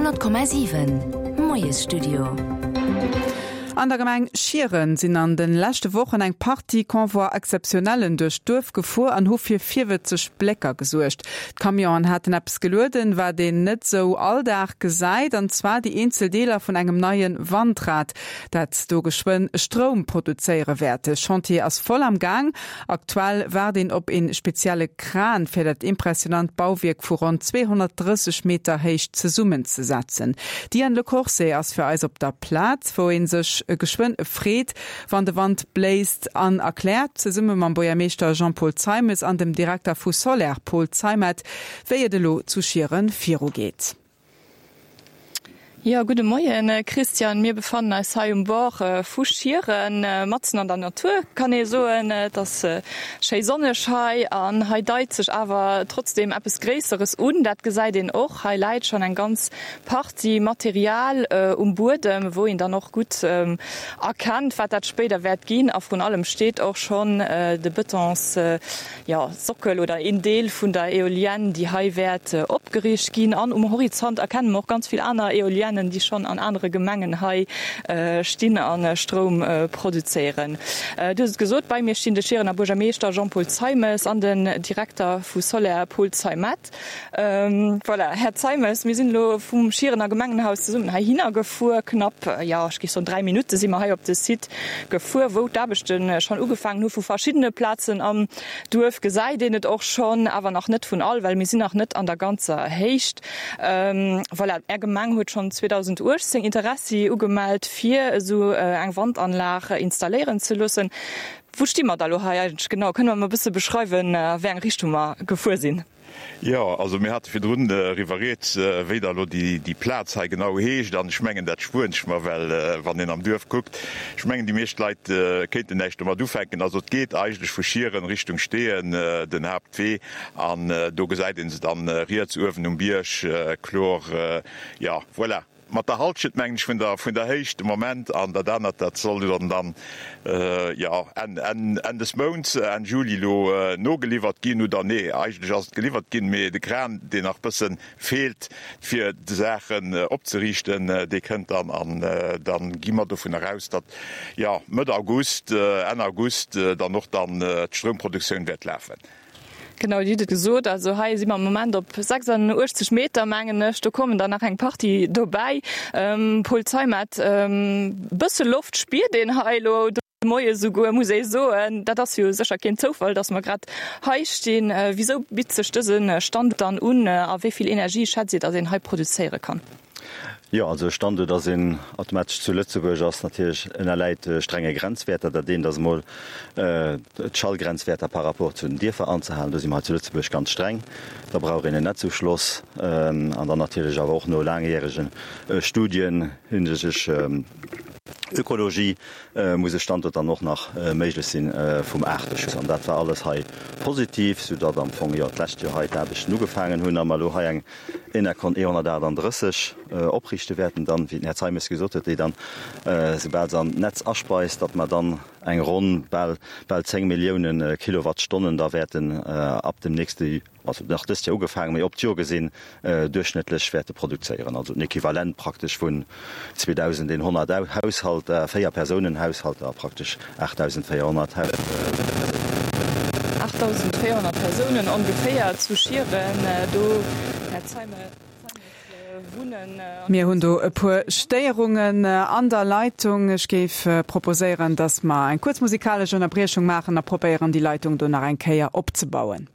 100,7 Moiesstudio. An der Gemeng Schieren sinn an de leschte Wochen eng Partie Convois exceptionnellen duerch d'Duerf gefuer an hu fir virwëtzeg Blécker gesuergt. D'Camionen haten eppes gelueden, wat een net sou all Dag gesäit, an zwar déi eenzel Deeler vun engem neie Wandrad, dat do geschwënn Stroum produzéiere wäert. De Chantier ass voll am Gaang. Aktuell waart een op een spezielle Kran fir dat impressionant Bauwierk vu ronn 230 Meter Héicht zesummenzesetzen. D'Diane Le Corset ass fir eis op der Plaz, wou een sech geschwënn freet, wann de Wand bléist an erkläert zesumme mam Buergermeeschter Jean-Paul Zeimes an dem Direkter vu Soler Paul Zeimet, wéi et elo zu Schieren virugeet. Jo, gudde Moien Christian. Mir befannen eis hei um Bord vu Schieren, matzen an der Natur kann ee soen. Et ass schéi sonneg hei an hei deit sech awer trotzdeem eppes Gréisseres un. Dat gesäit een och. Hei läit schonn eng ganz Partie Material um Buedem, wou een dann och gutt erkennt, wat dat spéider wäert ginn. A vrun allem steet och schonn de Betons jo, Sockel oder een Deel vun der Eolienne, déi hei wäert opgeriicht ginn. An um Horizont erkenne mer och ganz vill aner Eoliennen, déi schonn an anere Gemengen hei stinn a Stroum produzéieren. Du hues et gesot, bei mir stinn de Schierener Buergermeeschter Jean-Paul Zeimes an den Direkter vu Soler Paul Zeimet. Voilà, Här Zeimes, mir sinn elo vum Schierener Gemengenhaus zesummen heihinner gefuer. Knapp, jo, ech géif soen 3 Minutte si mer hei op de Site gefuer, wou d'Aarbechte schonn ugefaangen hu. Vu verschiddene Plazen am Duerf gesäit een et och schonn, awer nach net vun all, well mir sinn nach net an der ganzer Héicht. Voilà, Är Gemeng huet schonn 2018 Interessi ugemellt, fir esou eng Wandanlag installéieren ze loossen. Wou sti mer da lo hei eigentlech genau? Kënne mer mol e bësse beschreiwen, a wéi eng Richtung mer gefuer sinn? Jo, also mir hate virdrun eriwwer rieds, wéi da lo déi Plaz hei genau heescht. An ech mengen, dat spueren ech mer, well wann een am Duerf kuckt, ech mengen, déi meescht Leit kéinten näischt domat ufänken. Also et geet eigentlech vu Schieren Richtung Steeën, den Haaptwee, an do gesäit ee se dann riets uewen um Bierg kloer. Jo, voilà. Mat der Halschent, mengen ech, vun der, vun der Héicht de Moment. An dat anert, dat soll dann, dann, jo, Enn, Enn, Enn des Mounts, Enn Juli elo nogeliwwert ginn. Oder nee, eigentlech ass et geliwwert ginn, mee de Kran, deen nach bësse feelt, fir d'Saachen opzeriichten, dee kënnt dann. An da gi mer dovunner aus, datt, jo, Mëtt August, Enn August dann och dann d'Stroumproduktioun wäert lafen. Genau, Dir hutt et gesot, also hei si mer am Moment op 86 Meter, mengen ech. Do kommen der nach eng Partie dobäi. Paul Zeimet, e bësse Loft spiert een hei elo de Moie souguer, muss ee soen. Dat ass jo sécher keen Zoufall, datt mer grad hei stinn. Wisou bitt sech dëse Standuert dann un a wéi vill Energie schätzt Dir, datt een hei produzéiere kann? Jo, also e Standuert ass een automatesch zu Lëtzebuerg ass natierlech ënnerläit strenge Grenzwäerter. Dat eent ass emol d'Schallgrenzwäerter par rapport zu den Dierfer anzehalen. Do si mer hei zu Lëtzebuerg ganz streng. Da brauch een en Netzuschloss an dann natierlech awer och no laangjärege Studien hinsichtlech Ökologie muss e Standuert dann och nach méiglech sinn vum Aarteschutz. An dat war alles hei positiv, soudatt am Fong jo d'lescht Joer hei d'Aarbechten ugefaangen hunn a mer elo hei eng Enercon E138 opriichte wäerten, dann, wéi den Här Zeimes gesot huet, déi dann, soubal se an d'Netz aspeist, datt mer dann eng ronn bal, bal 10 Milliounen Kilowattstonnen da wäerten ab dem nächste, also nach dëst Joer ugefaangen, mee op d'Joer gesinn, duerchschnëttlech wäerte produzéieren. Also den Equivalent praktesch vun 2.100 Haushalter, Véier-Persounen-Haushalter a praktesch 8.400 Persounen. 8.400 Persounen ongeféier zu Schieren do, Här Zeimes, wunnen. Mir hunn do e puer Stéierungen an der Leitung. Ech géif proposéieren, dass mer eng kuerz musikalesch Ënnerbriechung maachen a probéieren, déi Leitung do nach eng Kéier opzebauen.